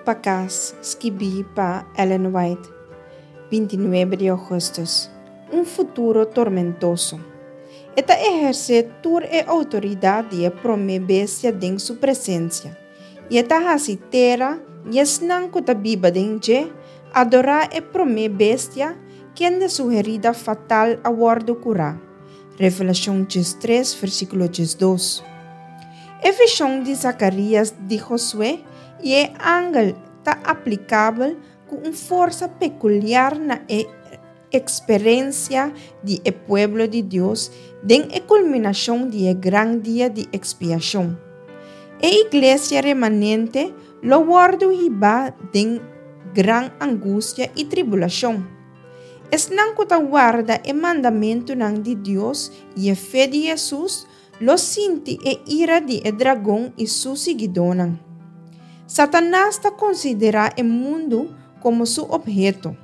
pa Kas, skibí pa Ellen White, 29 di ougùstùs. Un futuro tormentoso. E ta ehersé tur e outoridat di e promé bestia den su presensia, i e ta hasi tera i esnan ku ta biba den dje adorá e promé bestia kende su herida fatal a wòrdu kurá. Revelashon 13, versíkulo 12. E vishon di Zakarías di Josué i e angel ta aplikabel ku un forsa pekuliar na e eksperensia di e pueblo di Dios den e kulminashon di e gran dia di ekspiashon. E iglesia remanente lo wòrdu hibá den gran angustia i tribulashon. Esnan ku ta warda e mandamentunan di Dios i e fe di Hesus lo sinti e ira di e dragon i su siguidónan. Satanas ta konsiderá e mundu komo su opheto.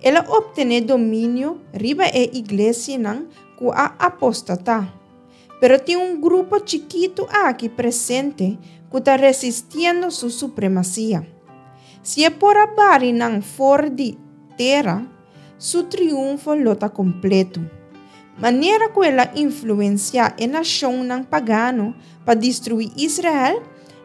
El a optené dominio riba e iglesianan ku a apostatá. Pero tin un grupo chikitu aki presente ku ta resistiendo su supremasia. Si e por a bari nan for di tera, su triunfo lo ta kompletu. Manera ku el a influensiá e nashonnan pagano pa destruí Israel,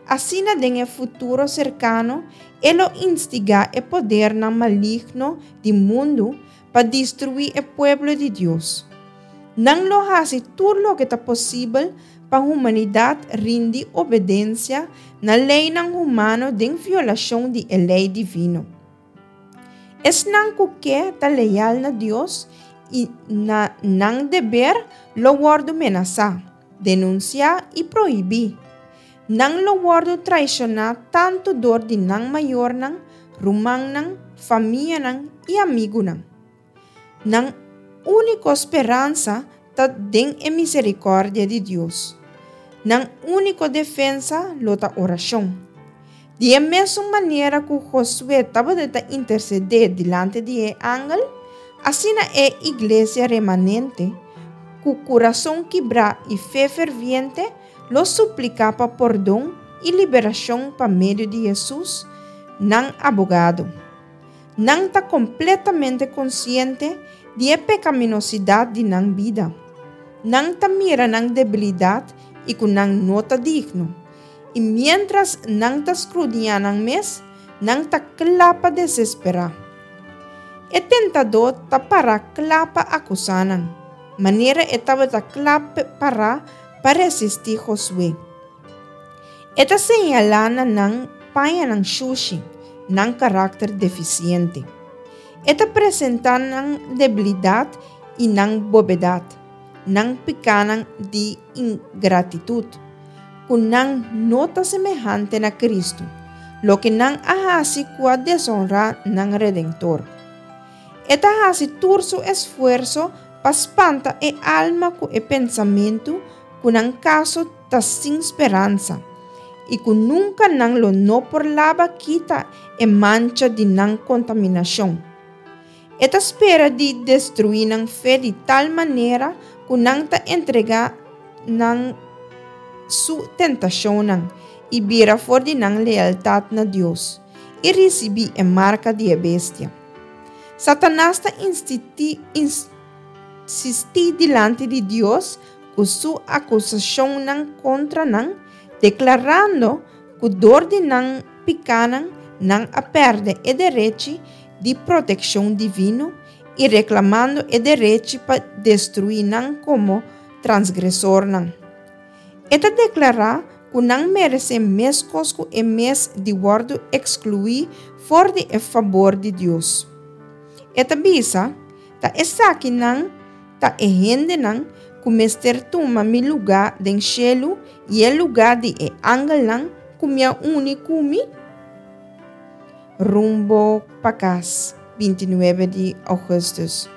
asina den e futuro serkano e lo instigá e podernan maligno di mundu pa destruí e pueblo di Dios. Nan lo hasi tur loke ta posibel pa humanidat rindi obedensia na leinan humano den violashon di e lei divino. Esnan ku ke ta leal na Dios i na nan deber lo wòrdu menasá, denunsiá i prohibí. Nan lo wòrdu traishoná tantu dor di nan mayornan, rumannan, famianan i amigunan. Nan úniko speransa ta den e miserikòrdia di Dios. Nan úniko defensa lo ta orashon. Di e mesun manera ku Josué tabata ta intersedé dilanti di e angel, asina e iglesia remanente, ku kurason kibrá i fe ferviente, lo supliká pa pordon i liberashon pa medio di Hesus, nan abogado. Nan ta kompletamente konsiente di e pekaminosidat di nan bida. Nan ta mira nan debilidat i ku nan no ta digno. I miéntras nan ta skrudiñá nan mes, nan ta kla pa desesperá. E tentadó ta pará kla pa akusá nan, manera e tabata kla pará pa resistí Josué. E ta señalá na nan pañanan shushi, nan karakter defisiente. E ta presentá nan debilidat i nan bobedat, nan pikánan di ingratitut, ku nan no ta semehante na Kristu, loke nan a hasi ku a desonrá nan Redentor. E ta hasi tur su esfuerso pa spanta e alma ku e pensamentu ku nan kaso ta sin speransa i ku nunka nan lo no por laba kita e mancha di nan kontaminashon. E ta spera di destruí nan fe di tal manera ku nan ta entregá nan su tentashonnan i bira for di nan lealtat na Dios i risibí e marka di e bestia. Satanas ta insistí dilanti di Dios ku su akusashonnan kontra nan, deklarando ku dor di nan pikánan nan a pèrdè e derechi di protekshon divino i reklamando e derechi pa destruí nan komo transgresornan. E ta deklará ku nan meresé meskos ku e mes di wòrdu ekskluí for di e fabor di Dios. E ta bisa, Ta esakinan ta e hendenan ku mester tuma mi lugá den shelu i e lugá di e angelnan ku mi a uni ku mi? Rumbo pa kas, 29 di ougùstùs.